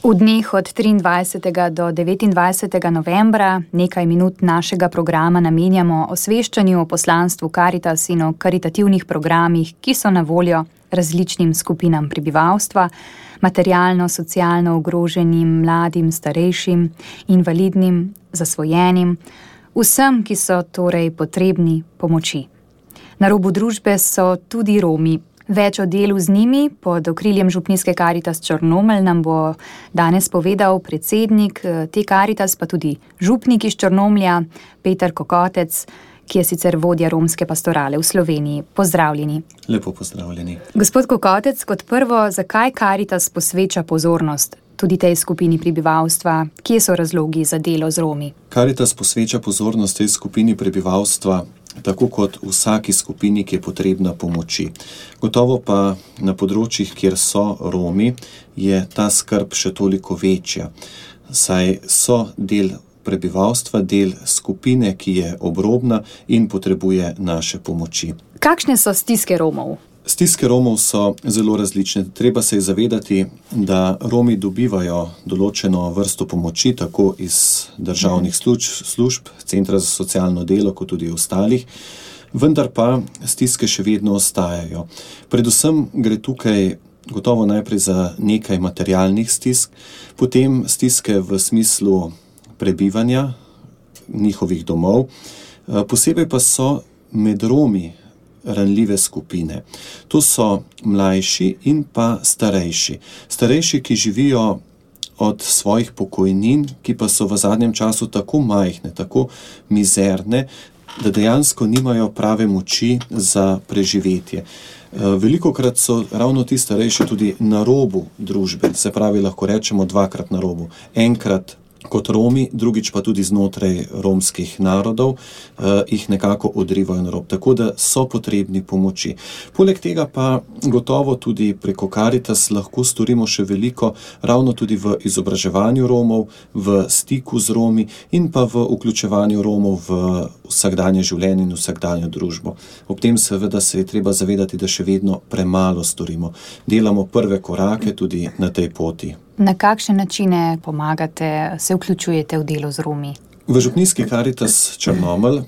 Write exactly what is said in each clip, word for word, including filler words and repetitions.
V dneh od triindvajsetega do devetindvajsetega novembra nekaj minut našega programa namenjamo osveščanju o poslanstvu Karitas in o karitativnih programih, ki so na voljo različnim skupinam prebivalstva, materialno, socialno ogroženim, mladim, starejšim, invalidnim, zasvojenim, vsem, ki so torej potrebni pomoči. Na robu družbe so tudi Romi. Več o delu z njimi pod okriljem župnijske Karitas Črnomelj nam bo danes povedal predsednik te Karitas, pa tudi župnik iz Črnomlja, Peter Kokotec, ki je sicer vodja romske pastorale v Sloveniji. Pozdravljeni. Lepo pozdravljeni. Gospod Kokotec, kot prvo, zakaj Karitas posveča pozornost tudi tej skupini prebivalstva? Kje so razlogi za delo z Romi? Karitas posveča pozornost tej skupini prebivalstva tako kot vsaki skupini, ki je potrebna pomoči. Gotovo pa na področjih, kjer so Romi, je ta skrb še toliko večja, saj so del prebivalstva, del skupine, ki je obrobna in potrebuje naše pomoči. Kakšne so stiske Romov? Stiske Romov so zelo različne. Treba se je zavedati, da Romi dobivajo določeno vrsto pomoči, tako iz državnih služb, služb, Centra za socialno delo, kot tudi ostalih, vendar pa stiske še vedno ostajajo. Predvsem gre tukaj gotovo najprej za nekaj materialnih stisk, potem stiske v smislu prebivanja njihovih domov, posebej pa so med Romi ranljive skupine. To so mlajši in pa starejši. Starejši, ki živijo od svojih pokojnin, ki pa so v zadnjem času tako majhne, tako mizerne, da dejansko nimajo prave moči za preživetje. Velikokrat so ravno ti starejši tudi na robu družbe, se pravi, lahko rečemo dvakrat na robu. Enkrat kot Romi, drugič pa tudi znotraj romskih narodov, eh, jih nekako odrivajo na rob, tako da so potrebni pomoči. Poleg tega pa gotovo tudi preko Karitas lahko storimo še veliko, ravno tudi v izobraževanju Romov, v stiku z Romi in pa v vključevanju Romov v vsakdanje življenje in vsakdanjo družbo. Ob tem seveda se je treba zavedati, da še vedno premalo storimo. Delamo prve korake tudi na tej poti. Na kakšne načine pomagate, se vključujete v delo z Romi? V župnijski Karitas Črnomelj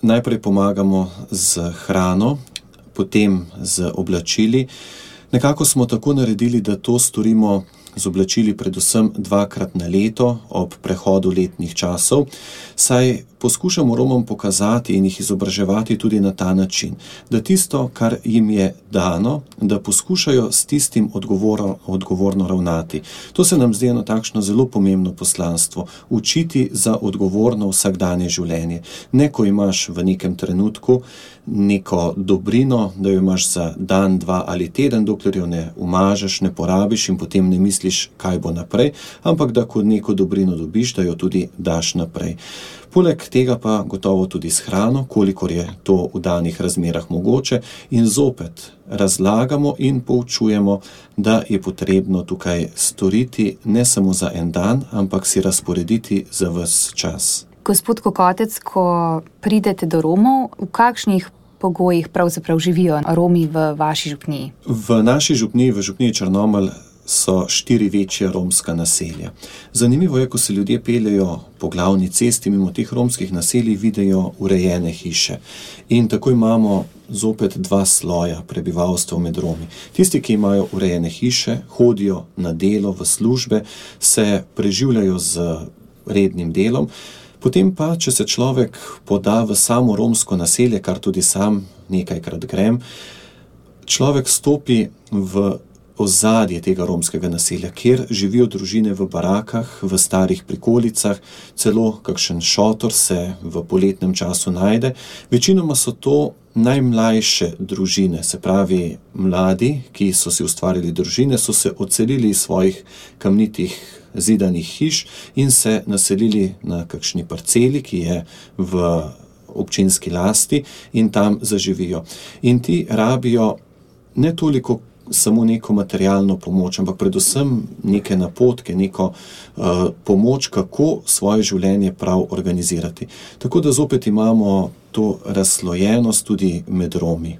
najprej pomagamo z hrano, potem z oblačili. Nekako smo tako naredili, da to storimo z oblačili predvsem dvakrat na leto ob prehodu letnih časov, saj poskušamo Romom pokazati in jih izobraževati tudi na ta način, da tisto, kar jim je dano, da poskušajo s tistim odgovorno, odgovorno ravnati. To se nam zdi eno takšno zelo pomembno poslanstvo, učiti za odgovorno vsakdanje življenje. Ne, ko imaš v nekem trenutku neko dobrino, da jo imaš za dan, dva ali teden, dokler jo ne umažeš, ne porabiš in potem ne misliš, kaj bo naprej, ampak da ko neko dobrino dobiš, da jo tudi daš naprej. Poleg tega pa gotovo tudi s hrano, kolikor je to v danih razmerah mogoče, in zopet razlagamo in poučujemo, da je potrebno tukaj storiti ne samo za en dan, ampak si razporediti za ves čas. Gospod Kokotec, ko pridete do Romov, v kakšnih pogojih pravzaprav živijo Romi v vaši župniji? V naši župniji, v župniji Črnomelj, so štiri večja romska naselja. Zanimivo je, ko se ljudje peljejo po glavni cesti mimo teh romskih naselij, vidijo urejene hiše. In tako imamo zopet dva sloja prebivalstva med Romi. Tisti, ki imajo urejene hiše, hodijo na delo, v službe, se preživljajo z rednim delom. Potem pa, če se človek poda v samo romsko naselje, kar tudi sam nekajkrat grem, človek stopi v ozadje tega romskega naselja, kjer živijo družine v barakah, v starih prikolicah, celo kakšen šotor se v poletnem času najde. Večinoma so to najmlajše družine, se pravi mladi, ki so si ustvarili družine, so se odselili iz svojih kamnitih zidanih hiš in se naselili na kakšni parceli, ki je v občinski lasti, in tam zaživijo. In ti rabijo ne toliko samo neko materialno pomoč, ampak predvsem neke napotke, neko uh, pomoč, kako svoje življenje prav organizirati. Tako da zopet imamo to razslojenost tudi med Romi.